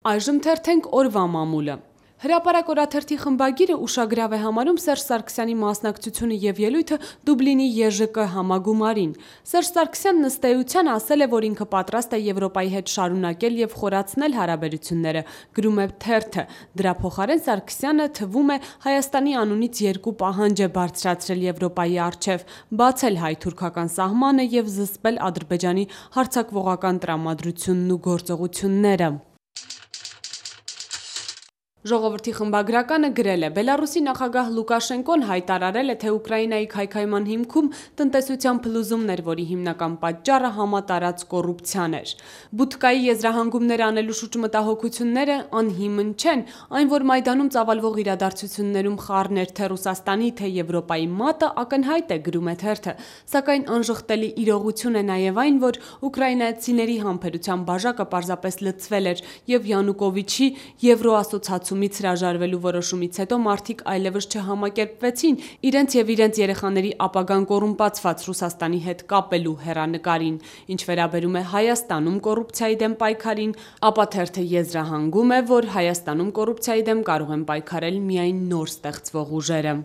Այժմ թերթենք օրվա մամուլը։ Հրապարակ օրաթերթի խմբագիրը ուշագրավ է համարում Սերժ Սարգսյանի մասնակցությունը եւ ելույթը Դուբլինի ԵԺԿ համագումարին։ Սերժ Սարգսյանն ըստ էության ասել է, որ ինքը պատրաստ է Եվրոպայի հետ շարունակել եւ խորացնել հարաբերությունները, գրում է թերթը։ Դրա փոխարեն Սարգսյանը, թվում է, Հայաստանի անունից երկու պահանջ է բարձրացրել Եվրոպայի առջեւ՝ բացել հայ-թուրքական սահմանը եւ զսպել Ադրբեջանի հարձակվողական տրամադրությունն ու գործողությունները։ Ժողովրդի խմբագրականը գրել է. Բելարուսի նախագահ Լուկաշենկոն հայտարարել է, թե Ուկրաինայի քայքայման հիմքում տնտեսության փլուզումներ, որի հիմնական պատճառը համատարած կոռուպցիան էր։ Բուդկայի եզրահանգումներ անելու շուրջ մտահոգությունները անհիմն չեն, այն որ Մայդանում ծավալվող իրադարձություններում խառներ թե Ռուսաստանի, թե Եվրոպայի մատը ակնհայտ է, գրում է թերթը, սակայն անժխտելի իրողություն է նաև այն, որ ուկրաինացիների համբերության բաժակը պարզապես լցվել էր եւ Յանուկովիչի Եվրոասոցիացիումից հրաժարվելու որոշումից հետո մարդիկ այլևս չհամակերպվեցին իրենց եւ իրենց երեխաների ապագան կոռումպացված Ռուսաստանի հետ կապելու հեռանկարին։ Ինչ վերաբերում է Հայաստանում կոռուպցիայի դեմ պայքարին, ապա թերթը եզրահանգում է, որ Հայաստանում կոռուպցիայի դեմ կարող են պայքարել միայն նոր ստեղծվող ուժերը։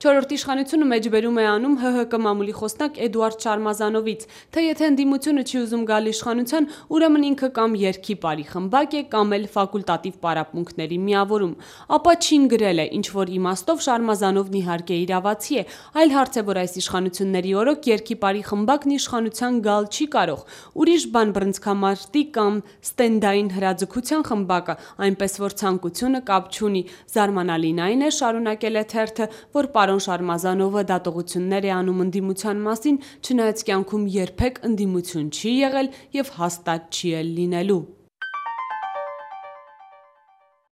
Չորրորդ իշխանությունը մեջբերում է անում ՀՀԿ մամուլի խոսնակ Էդուարդ Շարմազանովից, թե եթե ընդդիմությունը չի ուզում գալ իշխանության, ուրեմն ինքը կամ երգի բարի խմբակ է, կամ էլ ֆակուլտատիվ պարապմունքների միավորում։ Ապա Չին գրել է, ինչ որ իմաստով Շարմազանովն իհարկե իրավացի է, այլ հարց է, որ այս իշխանությունների օրոք երգի բարի խմբակն իշխանության գալ չի կարող։ Ուրիշ բան բռնցքամարտի կամ ստենդային հրաձգության խմբակը, այնպես որ ցանկությունը կապ չունի։ Զարմանալին այն է, շարունակել է թերթը, որ պարոն Շարմազանովը դատողություններ է անում ընդդիմության մասին, չնայած կյանքում երբեք ընդդիմություն չի եղել եւ հաստատ չի էլ լինելու։